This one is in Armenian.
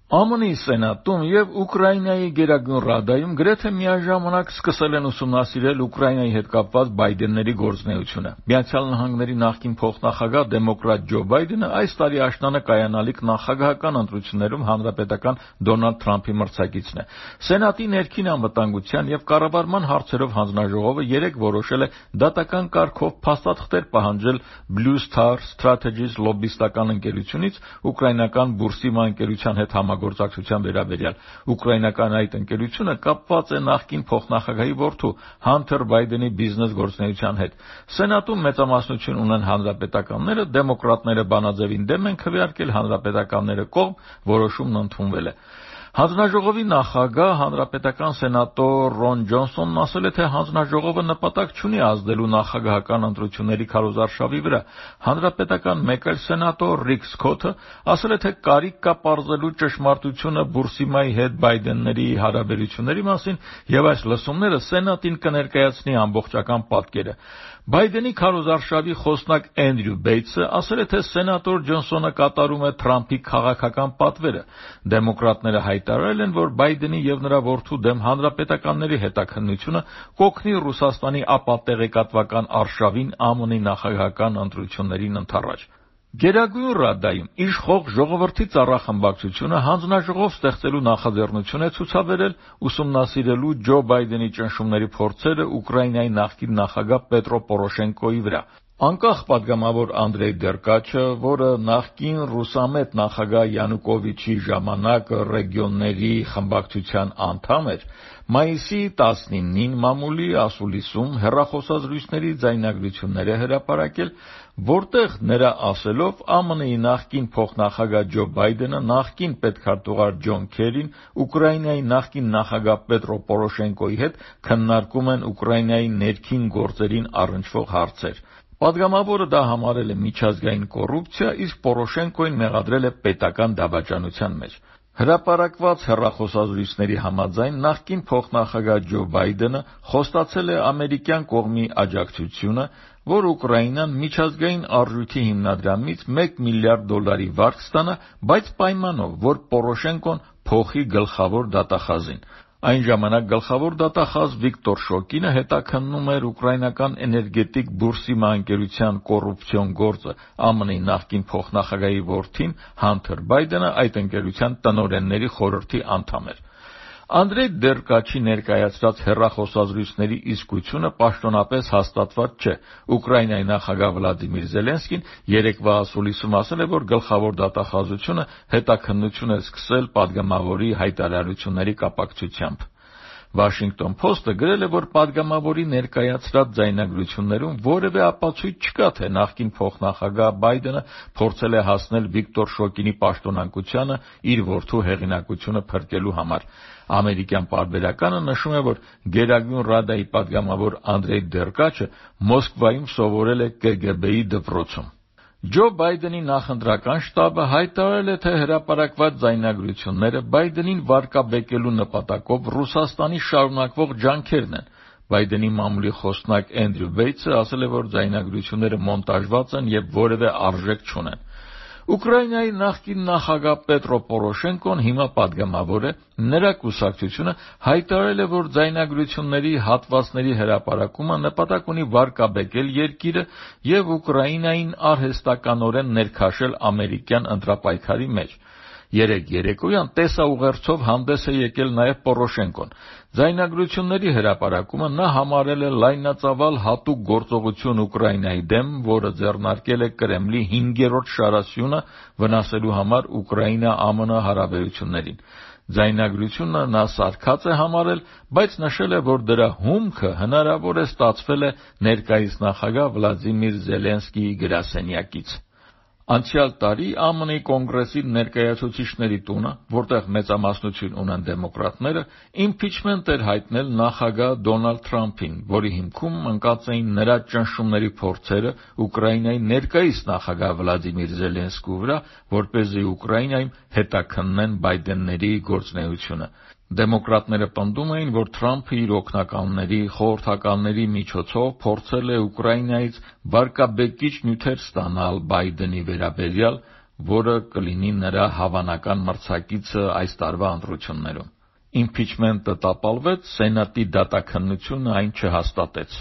ԱՄՆ-ի Սենատում եւ Ուկրաինայի Գերագույն Ռադայում գրեթե միաժամանակ սկսել են ուսումնասիրել Ուկրաինայի հետ կապված Բայդենների գործունեությունը։ Միացյալ Նահանգների նախկին փոխնախագահ դեմոկրատ Ջո Բայդենը այս տարի աշնանը կայանալիք նախագահական ընտրություններում հանրապետական Դոնալդ Թրամփի մրցակիցն է։ Սենատի ներքին անվտանգության եւ կառավարման հարցերով հանձնաժողովը երեկ որոշել է դատական կարգով փաստաթղթեր պահանջել Blue Star Strategies լոբբիստական ընկերությունից ուկրաինական Բուրսիմա ընկերության հետ գործակցության վերաբերյալ։ Ուկրաինական այդ ընկերությունը կապված է նախկին փոխնախագահի որդու Հանթեր Բայդենի բիզնես գործունեության հետ։ Սենատում մեծամասնություն ունեն հանրապետականները, դեմոկրատները բանաձևին դեմ են քվեարկել, հանրապետականները կողմ, որոշումն ընդունվել է։ Հանձնաժողովի նախագահ հանրապետական սենատոր Ռոն Ջոնսոնն ասել է, թե հանձնաժողովը նպատակ չունի ազդելու նախագահական ընտրությունների քարոզարշավի վրա։ Հանրապետական մեկ այլ սենատոր Ռիկ Սքոթը ասել է, թե կարիք կա պարզելու ճշմարտությունը Բուրսիմայի հետ Բայդենների հարաբերությունների մասին եւ այս լսումները Սենատին կներկայացնի ամբողջական պատկերը։ Բայդենի քարոզարշավի խոսնակ Էնդրյու Բեյթսը ասել է, թե սենատոր Ջոնսոնը կատարում է Թրամփի քաղաքական պատվերը։ Դեմոկրատները հայտարարել են, որ Բայդենի եւ նրա որդու դեմ հանրապետականների հետաքննությունը կօգնի Ռուսաստանի ապատեղեկատվական արշավին ԱՄՆ-ի նախագահական ընտրություններին ընդառաջ։ Գերագույն Ռադայում իշխող ժողովրդի ծառախմբակցությունը հանձնաժողով ստեղծելու նախաձեռնություն է ցուցաբերել ուսումնասիրելու Ջո Բայդենի ճնշումների փորձերը Ուկրաինայի նախկին նախագահ Պետրո Պորոշենկոյի վրա։ Անկախ падգամավոր Անդրեյ Դերկաչը, որը նախկին ռուսամետ նախագահ Յանուկովիչի ժամանակ ռեգիոնների խմբակցության անդամ էր, մայիսի 19-ին մամուլի ասուլիսում հեռախոսազրույցների ձայնագրություններ է հրապարակել, որտեղ նրա ասելով ԱՄՆ-ի նախկին փոխնախագահ Ջո Բայդենը, նախկին պետքարտուղար Ջոն Քերին, Ուկրաինայի նախկին նախագահ Պետրո Պորոշենկոյի հետ քննարկում են Ուկրաինայի ներքին գործերին առնչվող հարցեր։ Պատգամավորը դա համարել է միջազգային կոռուպցիա, իսկ Պորոշենկոին մեղադրել է պետական դավաճանության մեջ։ Հրապարակված հեռախոսազրույցների համաձայն նախկին փոխնախագահ Ջո Բայդենը խոստացել է ամերիկյան կողմի աջակցությունը, որ Ուկրաինան միջազգային արժույթի հիմնադրամից $1 միլիարդ վարկ ստանա, բայց պայմանով, որ Պորոշենկոն փոխի գլխավոր դատախազին։ Այն ժամանակ գլխավոր դատախազ Վիկտոր Շոկինը հետաքննում էր ուկրաինական էներգետիկ Բուրսիմա ընկերության կոռուպցիոն գործը։ ԱՄՆ-ի նախկին փոխնախագահի որդին Հանթեր Բայդենը այդ ընկերության տնօրենների խորհրդի անդամ էր։ Անդրեյ Դերկաչի ներկայացրած հեռախոսազրույցների իսկությունը պաշտոնապես հաստատված չէ։ Ուկրաինայի նախագահ Վլադիմիր Զելենսկին երեկվա ասուլիսում ասել է, որ գլխավոր դատախազությունը հետաքննություն է սկսել падգամավորի հայտարարությունների կապակցությամբ։ Washington Post-ը գրել է, որ падգամավորի ներկայացրած ձայնագրություններում որևէ ապացույց չկա, թե նախկին փոխնախագահ Բայդենը փորձել է հասնել Վիկտոր Շոկինի պաշտոնակությանը իր որդու հեղինակությունը փրկելու համար։ Ամերիկյան պարբերականը նշում է, որ Գերագույն Ռադայի падգամավոր Անդրեյ Դերկաչը Մոսկվայում սովորել է ԿԳԲ-ի դպրոցում։ Ջո Բայդենի նախընտրական շտաբը հայտարարել է, թե հրապարակված ձայնագրությունները Բայդենին վարկաբեկելու նպատակով Ռուսաստանի շարունակվող ջանքերն են։ Բայդենի մամուլի խոսնակ Էնդրյու Բեյթսը ասել է, որ ձայնագրությունները մոնտաժված են եւ որևէ արժեք չունեն։ Ուկրաինայի նախկին նախագահ Պետրո Պորոշենկոն հիմա падգամավոր է, նրա կուսակցությունը հայտարարել է, որ ձայնագրությունների հատվածների հրապարակումը նպատակ ունի վարկաբեկել երկիրը եւ Ուկրաինային արհեստականորեն ներքաշել ամերիկյան ընտրապայքարի մեջ։ Երեկ երեկոյան տեսաուղերձով հանդես է եկել նաև Պորոշենկոն։ Ձայնագրությունների հրապարակումը նա համարել է լայնածավալ հատուկ գործողություն Ուկրաինայի դեմ, որը ձեռնարկել է Կրեմլի 5-րդ շարասյունը վնասելու համար Ուկրաինա-ԱՄՆ հարաբերություններին։ Ձայնագրությունը նա սարքած է համարել, բայց նշել է, որ դրա հումքը հնարավոր է ստացվել է ներկայիս նախագահ Վլադիմիր Զելենսկիի գրասենյակից։ Անցյալ տարի ԱՄՆ-ի Կոնգրեսի ներկայացուցիչների տունը, որտեղ մեծամասնություն ունեն դեմոկրատները, իմփիչմենտ էր հայտնել նախագահ Դոնալդ Թրամփին, որի հիմքում ընկած էին նրա ճնշումների փորձերը Ուկրաինայի ներկայիս նախագահ Վլադիմիր Զելենսկիի վրա, որպեսզի Ուկրաինայում հետաքննեն Բայդենների գործունեությունը։ Դեմոկրատները պնդում էին, որ Թրամփը իր օգնականների, խորհրդականների միջոցով փորձել է Ուկրաինայից վարկաբեկիչ նյութեր ստանալ Բայդենի վերաբերյալ, որը կլինի նրա հավանական մրցակիցը այս տարվա ընտրություններում։ Իմփիչմենտը տապալվեց, Սենատի դատաքննությունը այն չհաստատեց։